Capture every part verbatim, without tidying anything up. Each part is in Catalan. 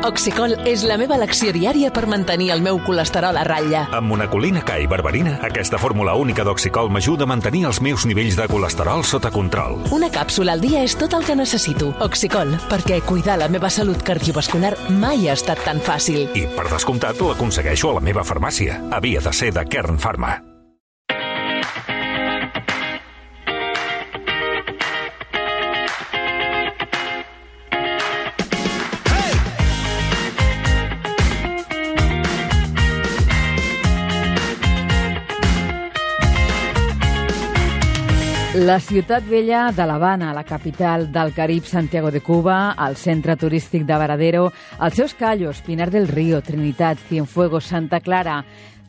Oxicol és la meva elecció diària per mantenir el meu colesterol a ratlla. Amb monacolina K i berberina, aquesta fórmula única d'Oxicol m'ajuda a mantenir els meus nivells de colesterol sota control. Una càpsula al dia és tot el que necessito. Oxicol, perquè cuidar la meva salut cardiovascular mai ha estat tan fàcil. I, per descomptat, l'aconsegueixo a la meva farmàcia. Havia de ser de Kern Pharma. La ciutat vella de l'Havana, la capital del Carib, Santiago de Cuba, el centre turístic de Varadero, els seus callos, Pinar del Río, Trinitat, Cienfuegos, Santa Clara.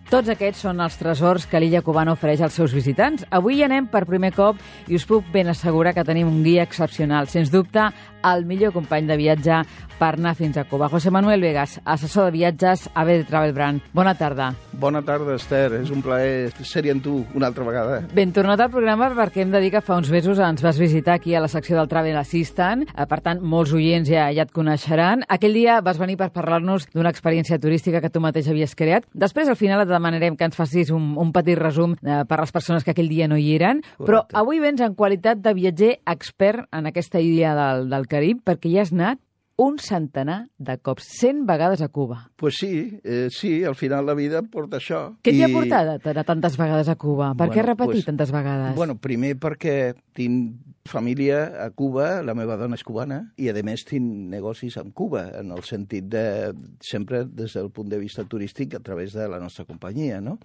Tots aquests són els tresors que l'illa cubana ofereix als seus visitants. Avui hi anem per primer cop i us puc ben assegurar que tenim un guia excepcional. Sens dubte, el millor company de viatge per anar fins a Cuba. José Manuel Vegas, assessor de viatges a B D Travel Brand. Bona tarda. Bona tarda, Esther. És un plaer ser-hi amb tu una altra vegada. Ben tornat al programa perquè hem de dir que fa uns mesos ens vas visitar aquí a la secció del Travel Assistant. Per tant, molts oients ja, ja et coneixeran. Aquell dia vas venir per parlar-nos d'una experiència turística que tu mateix havies creat. Després, al final, et demanarem que ens facis un, un petit resum eh, per a les persones que aquell dia no hi eren. Correcte. Però avui vens en qualitat de viatger expert en aquesta illa del, del Carib perquè hi has anat un centenar de cops, cent vegades a Cuba. Pues sí, eh, sí, al final la vida porta això. Què t'hi I... ha portat anar tantes vegades a Cuba? Per bueno, què repetir pues, tantes vegades? Bueno, primer perquè tinc família a Cuba, la meva dona és cubana, i a més tinc negocis amb Cuba, en el sentit de, sempre des del punt de vista turístic, a través de la nostra companyia, no?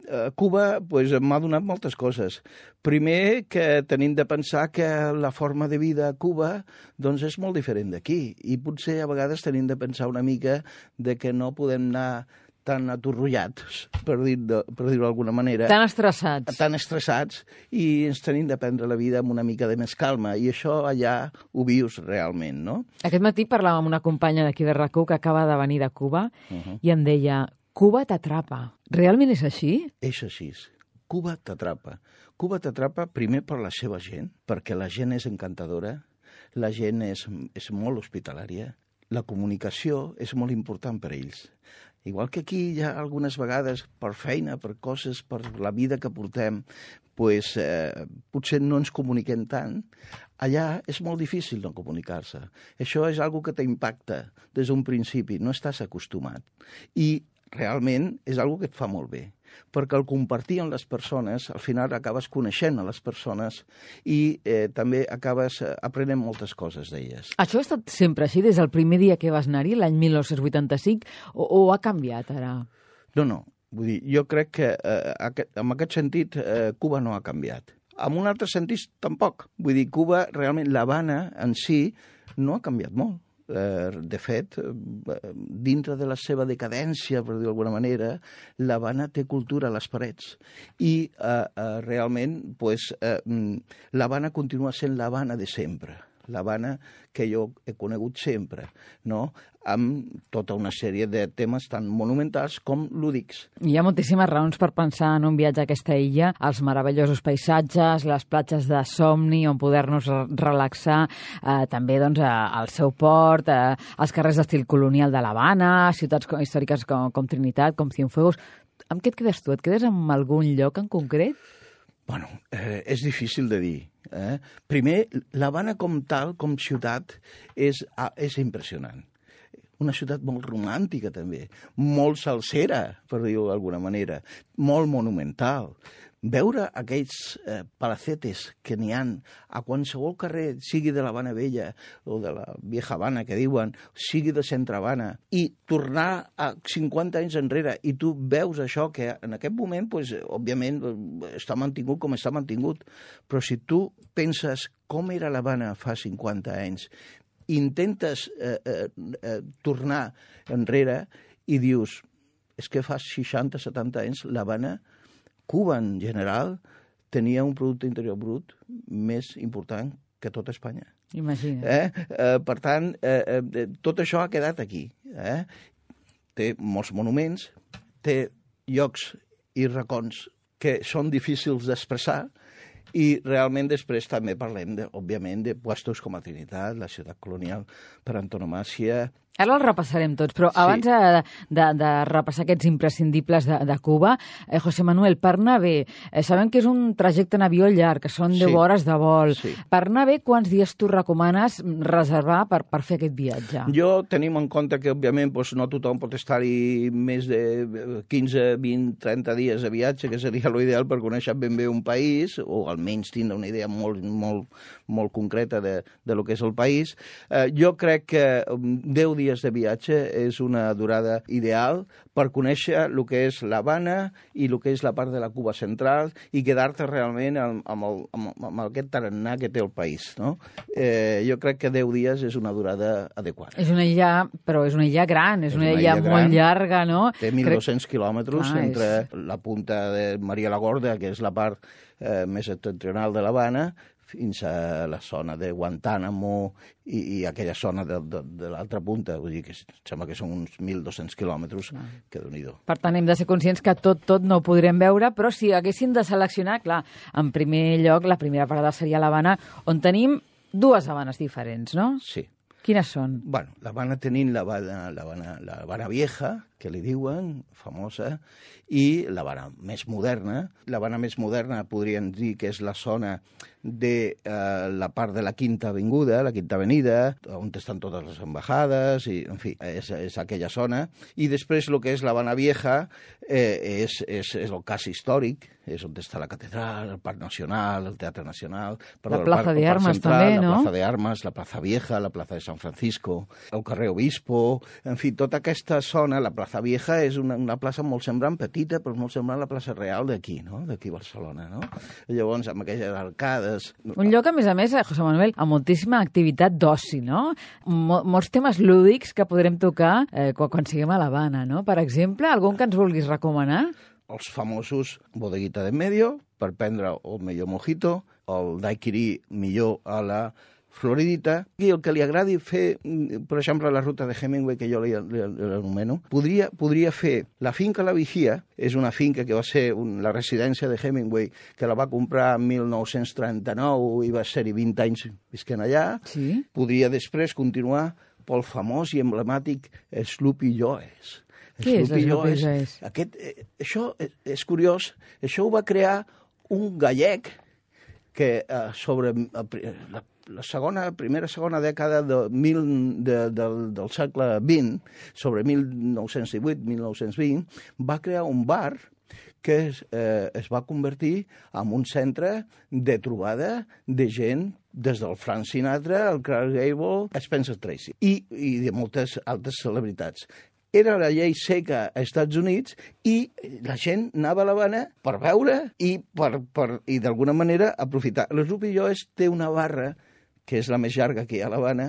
A Cuba pues, m'ha donat moltes coses. Primer, que tenim de pensar que la forma de vida a Cuba doncs, és molt diferent d'aquí, i potser a vegades tenim de pensar una mica de que no podem anar tan atorrollats, per dir-ho per dir d'alguna manera. Tan estressats. Tan estressats, i ens tenim de prendre la vida amb una mica de més calma, i això allà ho vius realment, no? Aquest matí parlàvem amb una companya d'aquí de RAC u que acaba de venir de Cuba uh -huh. i em deia, Cuba t'atrapa. Realment és així? És així. Cuba t'atrapa. Cuba t'atrapa primer per la seva gent, perquè la gent és encantadora, la gent és, és molt hospitalària, la comunicació és molt important per a ells. Igual que aquí hi ha algunes vegades, per feina, per coses, per la vida que portem, pues, eh, potser no ens comuniquem tant, allà és molt difícil no comunicar-se. Això és algo que t'impacta des d'un principi, no estàs acostumat. I realment és algo que et fa molt bé, perquè al compartir amb les persones, al final acabes coneixent a les persones i eh, també acabes aprenent moltes coses d'elles. Això ha estat sempre així, des del primer dia que vas anar-hi, l'any mil nou-cents vuitanta-cinc, o, o ha canviat ara? No, no. Vull dir, jo crec que eh, aquest, en aquest sentit eh, Cuba no ha canviat. En un altre sentit, tampoc. Vull dir, Cuba, realment, l'Havana en si no ha canviat molt. De fet, dintre de la seva decadència, per dir d'alguna manera, l'Havana té cultura a les parets. I eh, eh, realment, pues, eh, l'Havana continua sent l'Havana de sempre. L'Havana que jo he conegut sempre, no? Amb tota una sèrie de temes tan monumentals com lúdics. Hi ha moltíssimes raons per pensar en un viatge a aquesta illa, els meravellosos paisatges, les platges de somni on poder-nos relaxar, eh, també doncs, el seu port, eh, els carrers d'estil colonial de l'Havana, ciutats històriques com, com Trinitat, com Cienfuegos. Amb què et quedes tu? Et quedes amb algun lloc en concret? Bueno, eh, és difícil de dir. Eh? Primer, l'Havana com tal, com ciutat, és, és impressionant. Una ciutat molt romàntica, també. Molt salsera, per dir-ho d'alguna manera. Molt monumental. Veure aquells eh, palacetes que n'hi ha a qualsevol carrer, sigui de l'Havana Vella o de la Vieja Havana, que diuen, sigui de Centre Havana, i tornar a cinquanta anys enrere, i tu veus això, que en aquest moment, pues, òbviament, està mantingut com està mantingut, però si tu penses com era l'Havana fa cinquanta anys, intentes eh, eh, eh, tornar enrere i dius, és que fa seixanta setanta anys l'Havana, Cuba en general, tenia un producte interior brut més important que tot Espanya. Imagina't. Eh? Eh, per tant, eh, eh, tot això ha quedat aquí. Eh? Té molts monuments, té llocs i racons que són difícils d'expressar, I realment després també parlem, de, òbviament, de puestos com a Trinitat, la ciutat colonial per antonomàsia. Ara els repassarem tots, però sí. abans de, de, de repassar aquests imprescindibles de, de Cuba, eh, José Manuel, per anar bé, eh, sabem que és un trajecte en avió llarg, que són deu sí. hores de vol. Sí. Per anar bé, quants dies tu recomanes reservar per, per fer aquest viatge? Jo tenim en compte que, òbviament, doncs, no tothom pot estar-hi més de quinze, vint, trenta dies de viatge, que seria l'ideal per conèixer ben bé un país, o almenys tindre una idea molt, molt, molt concreta de, de lo que és el país. Eh, jo crec que deu dies de viatge és una durada ideal per conèixer el que és l'Havana i el que és la part de la Cuba central i quedar-te realment amb, amb, el, amb, amb aquest tarannà que té el país. No? Eh, jo crec que deu dies és una durada adequada. És una illa, però és una illa gran, és, és una, una illa, illa gran, molt llarga, no? Té mil dos-cents crec... quilòmetres ah, entre és... la punta de Maria la Gorda, que és la part eh, més septentrional de l'Havana, fins a la zona de Guantánamo i, i aquella zona de, de, de l'altra punta. Vull dir que sembla que són uns mil dos-cents quilòmetres, ah. que déu-n'hi-do. Per tant, hem de ser conscients que tot, tot no ho podrem veure, però si haguéssim de seleccionar, clar, en primer lloc, la primera parada seria l'Havana, on tenim dues Havanes diferents, no? Sí. Quines són? Bueno, l'Havana tenim l'Havana, l'Havana, l'Havana Vieja, que li diuen, famosa, i l'Havana més moderna. L'Havana més moderna podríem dir que és la zona de eh, la part de la Quinta Avinguda, la Quinta Avenida, on estan totes les embajades, i, en fi, és, és aquella zona. I després el que és l'Havana Vieja eh, és, és, és el cas històric, és on està la catedral, el Parc Nacional, el Teatre Nacional... Perdó, la Plaza de Armas també, no? La Plaza de Armas, la Plaza Vieja, la Plaza de San Francisco, el carrer Obispo... En fi, tota aquesta zona, la Plaza Vieja, és una, una plaça molt semblant, petita, però molt semblant a la plaça Real d'aquí, no? D'aquí a Barcelona, no? Llavors, amb aquelles arcades... Un lloc, a més a més, José Manuel, amb moltíssima activitat d'oci, no? Mol, molts temes lúdics que podrem tocar eh, quan, quan siguem a l'Havana, no? Per exemple, algun que ens vulguis recomanar? Els famosos bodeguita de medio, per prendre el millor mojito, el daiquiri millor a la floridita, i el que li agradi fer, per exemple, la ruta de Hemingway, que jo l'anomeno, podria, podria fer la finca La Vigía, és una finca que va ser un, la residència de Hemingway, que la va comprar en mil nou-cents trenta-nou i va ser-hi vint anys visquent allà. Sí. Podria després continuar pel famós i emblemàtic Sloopy Joes. Què és Sloopy Joes? Aquest, eh, això és, és curiós, això ho va crear un gallec que eh, sobre eh, la, la segona, primera, segona dècada de mil, de, del, del segle vint, sobre mil nou-cents divuit mil nou-cents vint, va crear un bar que es, eh, es va convertir en un centre de trobada de gent des del Frank Sinatra, el Clark Gable, Spencer Tracy i, i de moltes altres celebritats. Era la llei seca als Estats Units i la gent anava a l'Havana per veure i, per, per, i d'alguna manera aprofitar. Sloopy Joes té una barra, que és la més llarga que hi ha a l'Havana,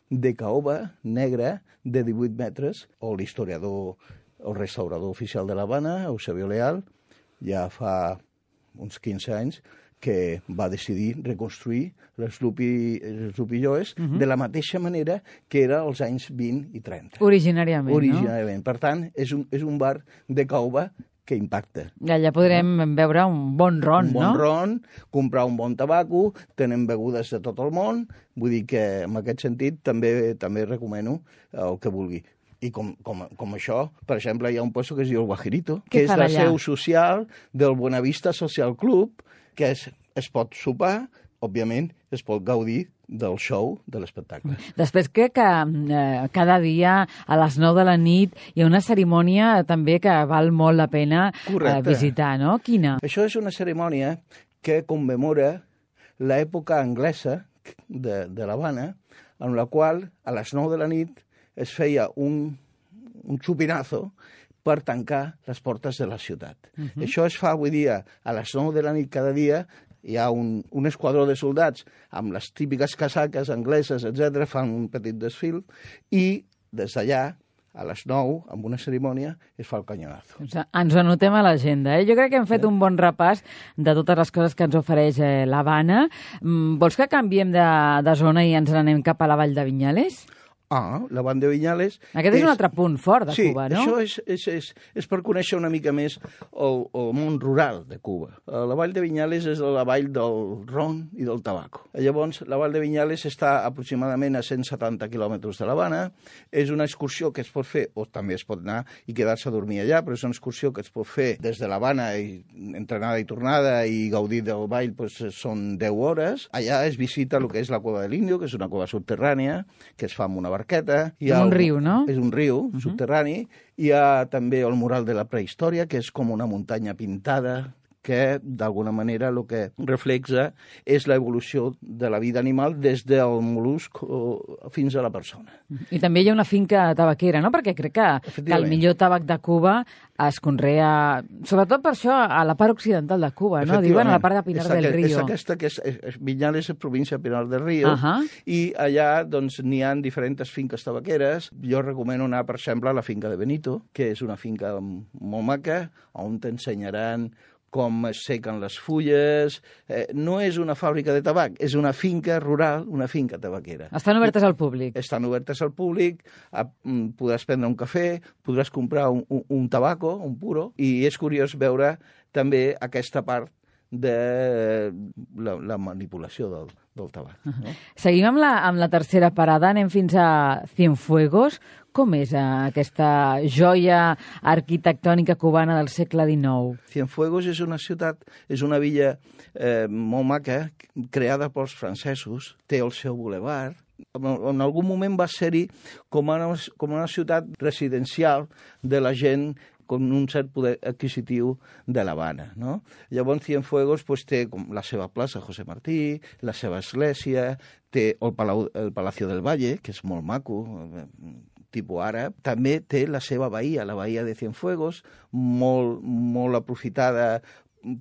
de caoba negra de divuit metres, o l'historiador, el restaurador oficial de l'Havana, Eusebio Leal, ja fa uns quinze anys, que va decidir reconstruir les Sloopy Joes uh-huh. de la mateixa manera que era als anys vint i trenta. Originàriament, Originàriament. no? Per tant, és un, és un bar de caoba que impacta. Ja, ja podrem no? veure un bon ron, un bon no? Un bon ron, comprar un bon tabaco, tenen begudes de tot el món, vull dir que en aquest sentit també també recomano el que vulgui. I com, com, com això, per exemple, hi ha un puesto que es diu el Guajirito, que és la allà? seu social del Buenavista Social Club, que es, es pot sopar, òbviament, es pot gaudir del show, de l'espectacle. Després crec que eh, cada dia a les nou de la nit hi ha una cerimònia també que val molt la pena eh, visitar, no? Quina? Això és una cerimònia que commemora l'època anglesa de, de l'Havana, en la qual a les nou de la nit es feia un, un xupinazo per tancar les portes de la ciutat. Uh-huh. Això es fa avui dia a les nou de la nit cada dia, hi ha un, un esquadró de soldats amb les típiques casaques angleses, etcètera, fan un petit desfil, i des d'allà, a les nou, amb una cerimònia, es fa el canyonazo. O sigui, ens ho anotem a l'agenda. Eh? Jo crec que hem fet sí. un bon repàs de totes les coses que ens ofereix eh, l'Havana. Mm, vols que canviem de, de zona i ens n'anem cap a la Vall de Vinyales? Ah, la Vall de Vinyales... Aquest és, és un altre punt fort de sí, Cuba, no? Sí, això és, és, és, és per conèixer una mica més el, el món rural de Cuba. La Vall de Vinyales és la vall del ron i del tabaco. Llavors, la Vall de Vinyales està aproximadament a cent setanta quilòmetres de l'Havana. És una excursió que es pot fer, o també es pot anar i quedar-se a dormir allà, però és una excursió que es pot fer des de l'Havana, entre anada i tornada, i gaudir del ball doncs, són deu hores. Allà es visita el que és la Cueva de l'Indio, que és una cueva subterrània, que es fa amb una barca. És un riu, no? És un riu uh -huh. subterrani. Hi ha també el mural de la prehistòria, que és com una muntanya pintada, que d'alguna manera el que reflexa és l'evolució de la vida animal des del mol·lusc fins a la persona. I també hi ha una finca tabaquera, no? Perquè crec que, que el millor tabac de Cuba es conrea, sobretot per això, a la part occidental de Cuba, no? Diuen a la part de Pinar és del aquest, Río. És aquesta que és, és Vinyales és província de Pinar del Río, uh -huh. i allà doncs n'hi ha diferents finques tabaqueres. Jo recomano anar, per exemple, a la finca de Benito, que és una finca molt maca, on t'ensenyaran com es sequen les fulles. Eh, no és una fàbrica de tabac, és una finca rural, una finca tabaquera. Estan obertes al públic. Estan obertes al públic, a, podràs prendre un cafè, podràs comprar un, un, un tabaco, un puro, i és curiós veure també aquesta part de la, la manipulació del, del tabac. No? Seguim amb la, amb la tercera parada, anem fins a Cienfuegos. Com és aquesta joia arquitectònica cubana del segle dinou? Cienfuegos és una ciutat, és una villa eh, molt maca, creada pels francesos, té el seu bulevard. En algun moment va ser-hi com, com una ciutat residencial de la gent con un cert poder adquisitiu de l'Havana, no? Llavors, Cienfuegos pues, té com la seva plaça José Martí, la seva església, té el, Palau, el Palacio del Valle, que és molt maco, tipus àrab. També té la seva bahia, la bahia de Cienfuegos, molt, molt aprofitada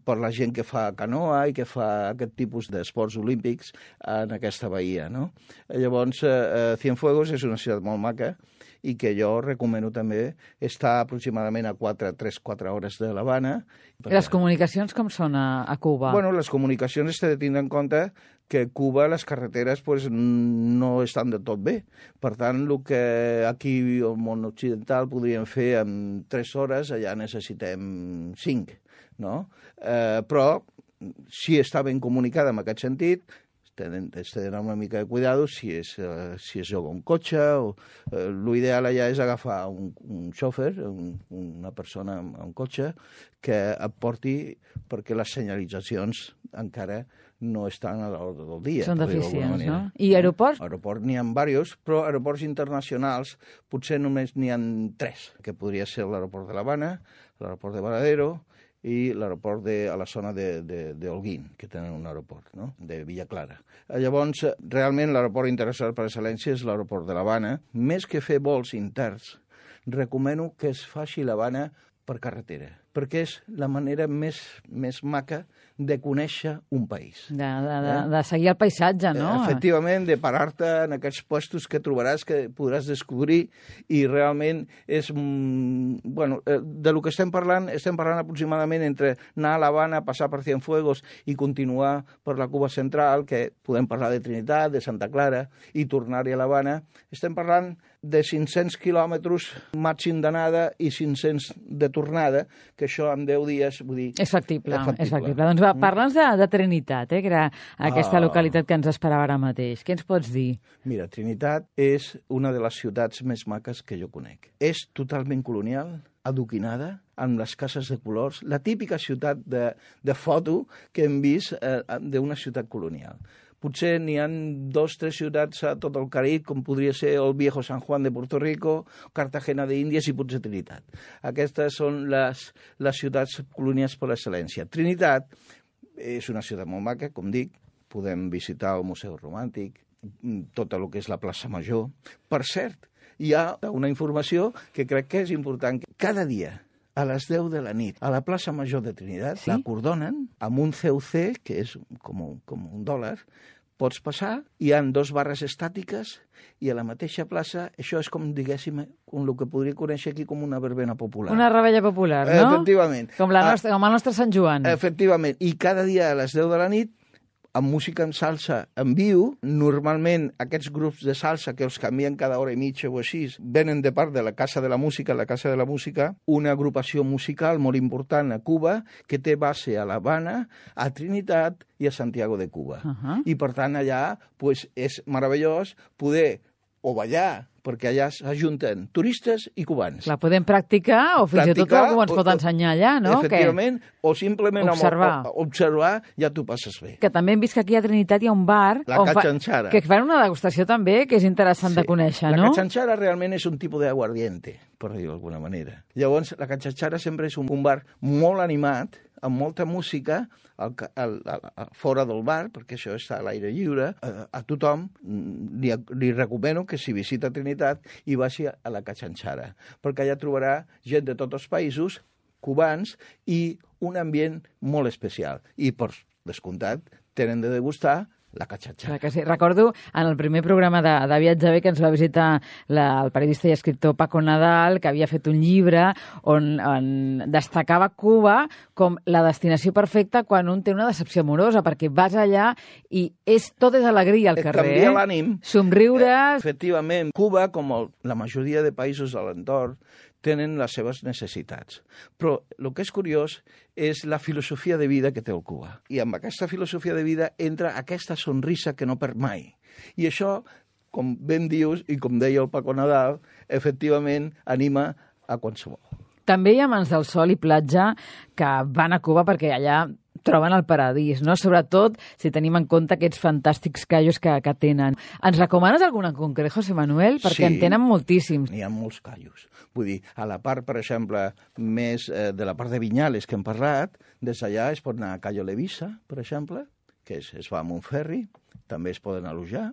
per la gent que fa canoa i que fa aquest tipus d'esports olímpics en aquesta bahia, no? Llavors, eh, Cienfuegos és una ciutat molt maca i que jo recomano també estar aproximadament a tres quatre hores de l'Havana. Les comunicacions com són a, a Cuba? Bueno, les comunicacions s'ha de tindre en compte que a Cuba les carreteres pues, no estan de tot bé. Per tant, el que aquí al món occidental podríem fer en tres hores, allà necessitem cinc, no? Eh, però si està ben comunicada en aquest sentit, has de donar una mica de cuidado si es, uh, si es joga un cotxe. O, uh, l'ideal allà és agafar un, un xòfer, un, una persona amb un cotxe, que et porti perquè les senyalitzacions encara no estan a l'ordre del dia. Són deficients, no? I aeroports? Aeroports n'hi ha diversos, però aeroports internacionals potser només n'hi ha tres, que podria ser l'aeroport de l'Havana, l'aeroport de Varadero i l'aeroport a la zona d'Holguín, que tenen un aeroport, no? De Villa Clara. Llavors, realment l'aeroport internacional per excel·lència és l'aeroport de l'Havana. Més que fer vols interns, recomano que es faci l'Havana per carretera, perquè és la manera més, més maca de conèixer un país. De, de, de, eh? de seguir el paisatge, no? Efectivament, de parar-te en aquests puestos que trobaràs, que podràs descobrir, i realment és... Bueno, de lo que estem parlant, estem parlant aproximadament entre anar a l'Havana, passar per Cienfuegos i continuar per la Cuba central, que podem parlar de Trinitat, de Santa Clara, i tornar-hi a l'Havana. Estem parlant de cinc-cents quilòmetres màxim d'anada i cinc-cents de tornada, que això en deu dies, vull dir... És factible, és factible. És factible. Doncs va, Mm. parla'ns de, de Trinitat, eh, que era aquesta Ah. localitat que ens esperava ara mateix. Què ens pots dir? Mira, Trinitat és una de les ciutats més maques que jo conec. És totalment colonial, adoquinada, amb les cases de colors, la típica ciutat de, de foto que hem vist eh, d'una ciutat colonial. Potser n'hi ha dos, tres ciutats a tot el Carib, com podria ser el Viejo San Juan de Puerto Rico, Cartagena d'Índies i potser Trinitat. Aquestes són les, les ciutats colonials per excel·lència. Trinitat és una ciutat molt maca, com dic, podem visitar el Museu Romàntic, tot el que és la plaça Major. Per cert, hi ha una informació que crec que és important. Cada dia, a les deu de la nit, a la plaça Major de Trinitat, sí? l'acordonen amb un C U C, que és com un, com un dòlar. Pots passar, hi ha dos barres estàtiques i a la mateixa plaça, això és com, diguéssim, com el que podria conèixer aquí com una verbena popular. Una rebella popular, no? Efectivament. Com, la nostra, com el nostre Sant Joan. Efectivament. I cada dia a les deu de la nit amb música en salsa en viu. Normalment aquests grups de salsa que els canvien cada hora i mitja o així venen de part de la Casa de la Música, la Casa de la Música, una agrupació musical molt important a Cuba que té base a l'Havana, a Trinitat i a Santiago de Cuba. Uh-huh. I per tant allà pues, és meravellós poder o ballar, perquè allà s'ajunten turistes i cubans. La podem practicar o fins i tot algú ens pot o, ensenyar allà, no? Efectivament, que... o simplement observar. Amb, o, observar, ja t'ho passes bé. Que també hem vist que aquí a Trinitat hi ha un bar la Cachanchara. Fa... que fan una degustació també, que és interessant sí. de conèixer, la no? La Cachanchara realment és un tipus d'aguardiente, per dir-ho d'alguna manera. Llavors, la Cachanchara sempre és un, un bar molt animat, amb molta música, al, al, al, al, fora del bar, perquè això està a l'aire lliure, a, a tothom li, li recomano que si visita Trinitat i vagi a la Cachanchara, perquè allà trobarà gent de tots els països, cubans, i un ambient molt especial. I, per descomptat, tenen de degustar la Cachanchara. Que sí. Recordo en el primer programa de, de Viatge Bé que ens va visitar la, el periodista i escriptor Paco Nadal, que havia fet un llibre on, on destacava Cuba com la destinació perfecta quan un té una decepció amorosa, perquè vas allà i és, tot és alegria al Et carrer. canvia l'ànim. Somriures... Eh, efectivament, Cuba, com el, la majoria de països de l'entorn, tenen les seves necessitats. Però el que és curiós és la filosofia de vida que té el Cuba. I amb aquesta filosofia de vida entra aquesta sonrisa que no perd mai. I això, com ben dius, i com deia el Paco Nadal, efectivament anima a qualsevol. També hi ha Mans del Sol i Platja que van a Cuba perquè allà troben el paradís, no? Sobretot si tenim en compte aquests fantàstics callos que, que tenen. Ens recomanes algun en concret, José Manuel? Perquè sí, en tenen moltíssims. N'hi ha molts callos. Vull dir, a la part, per exemple, més eh, de la part de Vinyales que hem parlat, des d'allà es pot anar a Cayo Levisa, per exemple, que es, es va amb un ferri, també es poden alojar,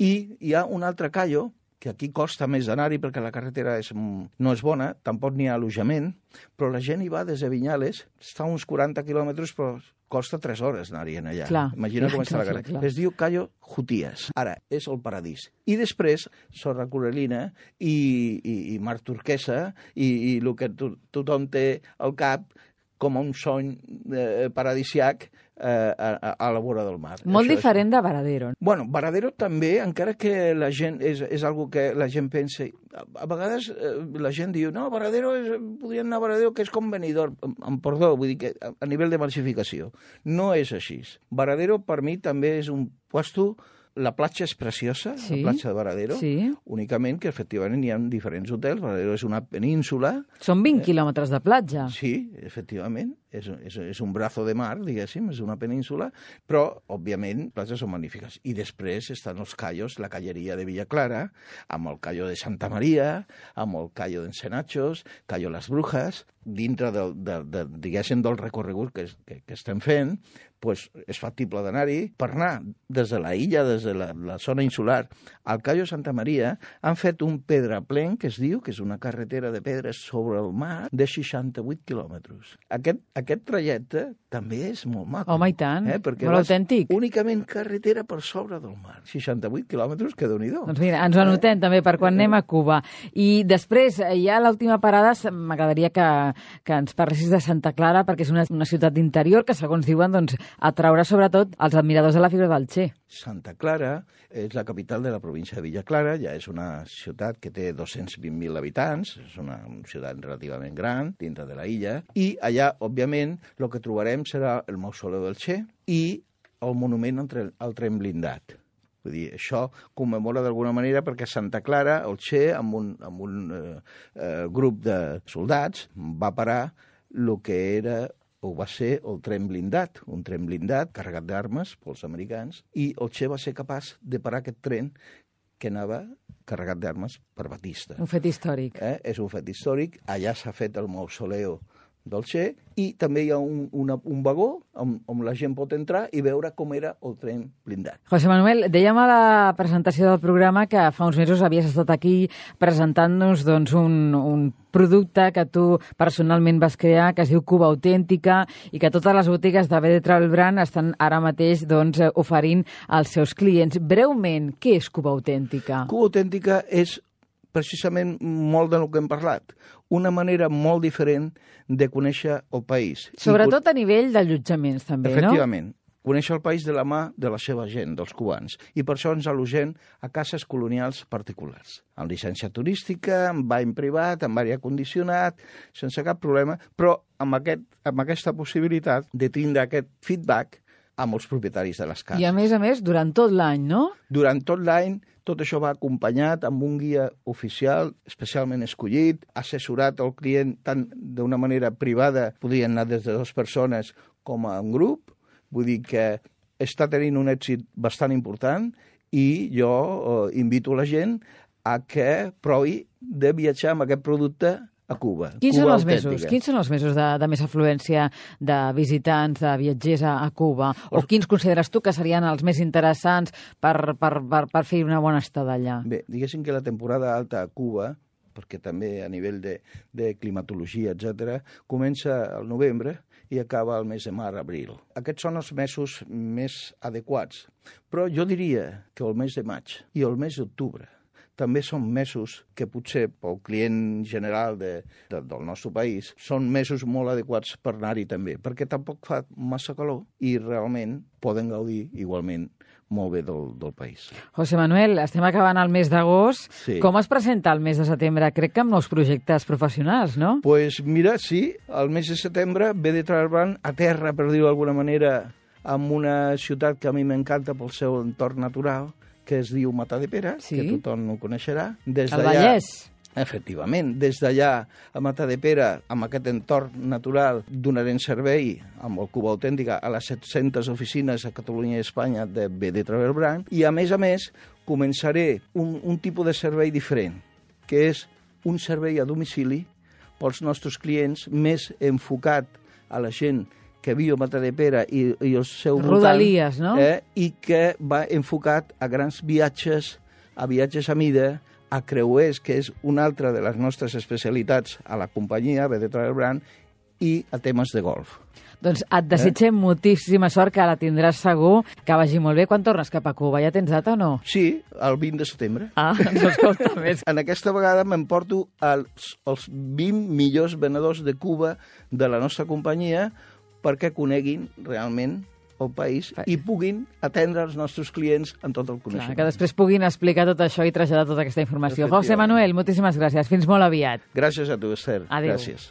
i hi ha un altre callo que aquí costa més anar-hi perquè la carretera és, no és bona, tampoc n'hi ha allotjament, però la gent hi va des de Vinyales, està a uns quaranta quilòmetres, però costa tres hores anar-hi allà. Clar, Imagina clar, com està clar, la carretera. Clar. Es diu Cayo Jutías. Ara, és el paradís. I després, sorra coralina i, i, i mar turquesa i, i el que to, tothom té al cap com un sony eh, paradisiac eh, a, a la vora del mar. Molt Això diferent és... de Varadero. Bueno, Varadero també, encara que la gent és, és algo que la gent pensa... A, a vegades eh, la gent diu, no, Varadero és, podrien anar a Varadero, que és com Benidorm, amb perdó, vull dir que a, a nivell de massificació. No és així. Varadero per mi també és un puesto... La platja és preciosa, sí, la platja de Varadero, sí, únicament que efectivament hi ha diferents hotels. Varadero és una península. Són vint eh, quilòmetres de platja. Sí, efectivament. És, és, és un brazo de mar, diguéssim, és una península, però, òbviament, les platges són magnífiques. I després estan els callos, la calleria de Villa Clara, amb el callo de Santa Maria, amb el callo d'Encenachos, callo Las Brujas, dintre del, del, del, diguéssim, del recorregut que, que, que estem fent, pues, és factible d'anar-hi. Per anar des de la illa, des de la, la zona insular, al callo Santa Maria, han fet un pedraplén, que es diu, que és una carretera de pedres sobre el mar, de seixanta-vuit quilòmetres. Aquest, aquest trajecte també és molt maco. Home, i tant, eh? Perquè molt autèntic. Únicament carretera per sobre del mar. seixanta-vuit quilòmetres, que déu-n'hi-do. Doncs mira, ens ho anotem eh? també per quan anem a Cuba. I després, ja a l'última parada, m'agradaria que, que ens parlessis de Santa Clara, perquè és una, una ciutat d'interior que, segons diuen, doncs, atraurà sobretot els admiradors de la figura del Che. Santa Clara és la capital de la província de Villa Clara, ja és una ciutat que té dos-cents vint mil habitants, és una ciutat relativament gran, dintre de la illa, i allà, òbviament, el que trobarem serà el mausoleu del Che i el monument al tren blindat. Vull dir, això commemora d'alguna manera perquè Santa Clara, el Che, amb un, amb un eh, eh, grup de soldats, va parar el que era o va ser el tren blindat, un tren blindat carregat d'armes pels americans, i el Che va ser capaç de parar aquest tren que anava carregat d'armes per Batista. Un fet històric. Eh? És un fet històric. Allà s'ha fet el mausoleu del Che i també hi ha un, una, un vagó on, on la gent pot entrar i veure com era el tren blindat. José Manuel, dèiem a la presentació del programa que fa uns mesos havies estat aquí presentant-nos doncs, un, un producte que tu personalment vas crear, que es diu Cuba Autèntica, i que totes les botigues de B D Travel Brand estan ara mateix doncs, oferint als seus clients. Breument, què és Cuba Autèntica? Cuba Autèntica és precisament molt del que hem parlat. Una manera molt diferent de conèixer el país. Sobretot a nivell d'allotjaments, també, Efectivament. no? conèixer el país de la mà de la seva gent, dels cubans. I per això ens al·logem a cases colonials particulars, amb llicència turística, amb bany privat, amb aire condicionat, sense cap problema, però amb, aquest, amb aquesta possibilitat de tindre aquest feedback amb els propietaris de les cases. I a més a més, durant tot l'any, no? Durant tot l'any, tot això va acompanyat amb un guia oficial especialment escollit, assessorat al client tant d'una manera privada, podien anar des de dues persones com a un grup, vull dir que està tenint un èxit bastant important i jo eh, invito la gent a que provi de viatjar amb aquest producte a Cuba. Quins Cuba són els autèntica. mesos? Quins són els mesos de, de més afluència de visitants, de viatgers a, a Cuba? O quins consideres tu que serien els més interessants per, per, per, per fer una bona estada allà? Bé, diguéssim que la temporada alta a Cuba, perquè també a nivell de, de climatologia, etcètera, comença al novembre i acaba el mes de mar-abril. Aquests són els mesos més adequats, però jo diria que el mes de maig i el mes d'octubre també són mesos que potser pel client general de, de, del nostre país són mesos molt adequats per anar-hi també, perquè tampoc fa massa calor i realment poden gaudir igualment molt bé del, del país. José Manuel, estem acabant el mes d'agost. Sí. Com es presenta el mes de setembre? Crec que amb nous projectes professionals, no? Doncs pues mira, sí, el mes de setembre ve de treballar a terra, per dir-ho d'alguna manera, amb una ciutat que a mi m'encanta pel seu entorn natural, que es diu Matadepera, sí, que tothom ho coneixerà. Des el Vallès. Efectivament, des d'allà a Matadepera, amb aquest entorn natural, donarem servei amb el Cuba Autèntica a les set-centes oficines a Catalunya i Espanya de B D Travel Brand, i a més a més començaré un, un tipus de servei diferent, que és un servei a domicili pels nostres clients, més enfocat a la gent que viu a Matadepera i, i el seu Rodalies, voltant, no? Eh, i que va enfocat a grans viatges, a viatges a mida, a creuers, que és una altra de les nostres especialitats a la companyia, B D Travel Brand, i a temes de golf. Doncs et desitgem eh? moltíssima sort, que la tindràs segur, que vagi molt bé. Quan tornes cap a Cuba? Ja tens data o no? Sí, el vint de setembre. Ah, doncs escolta més. En aquesta vegada m'emporto els, els vint millors venedors de Cuba de la nostra companyia perquè coneguin realment el país i puguin atendre els nostres clients en tot el coneixement. Clar, que després puguin explicar tot això i traslladar tota aquesta informació. José Manuel, moltíssimes gràcies. Fins molt aviat. Gràcies a tu, Esther. Adéu. Gràcies.